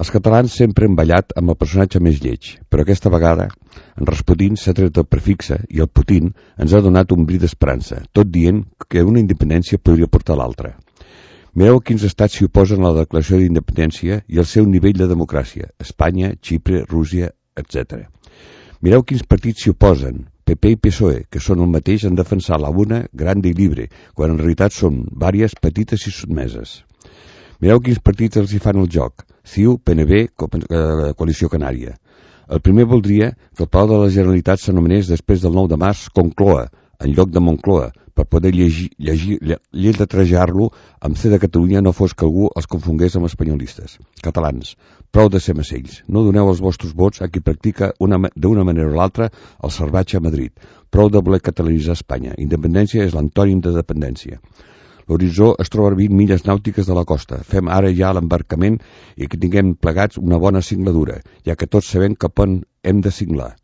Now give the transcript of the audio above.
Els catalans sempre hem ballat amb el personatge més lleig, però aquesta vegada en Rasputin s'ha tret el prefixe i el Putin ens ha donat un bri d'esperança, tot dient que una independència podria portar l'altra. Mireu quins estats s'hi oposen a la declaració d'independència i al seu nivell de democràcia: Espanya, Xipre, Rússia, etc. Mireu quins partits s'hi oposen, PP i PSOE, que són el mateix en defensar la una grande i libre, quan en realitat són vàries petites i sotmeses. Mireu quins partits els hi fan el joc: CiU, PNB, Coalició Canària. El primer voldria que el Palau de la Generalitat s'anomenés després del 9 de març Concloa, en lloc de Moncloa, per poder lletrejar-lo amb C de Catalunya, no fos que algú els confongués amb espanyolistes. Catalans, prou de ser macells. No doneu els vostres vots a qui practica d'una manera o l'altra el salvatge a Madrid. Prou de voler catalanitzar Espanya. Independència és l'antònim de dependència. L'horitzó es troba a 20 milles nàutiques de la costa. Fem ara ja l'embarcament i que tinguem plegats una bona cingladura, ja que tots sabem cap on hem de cinglar.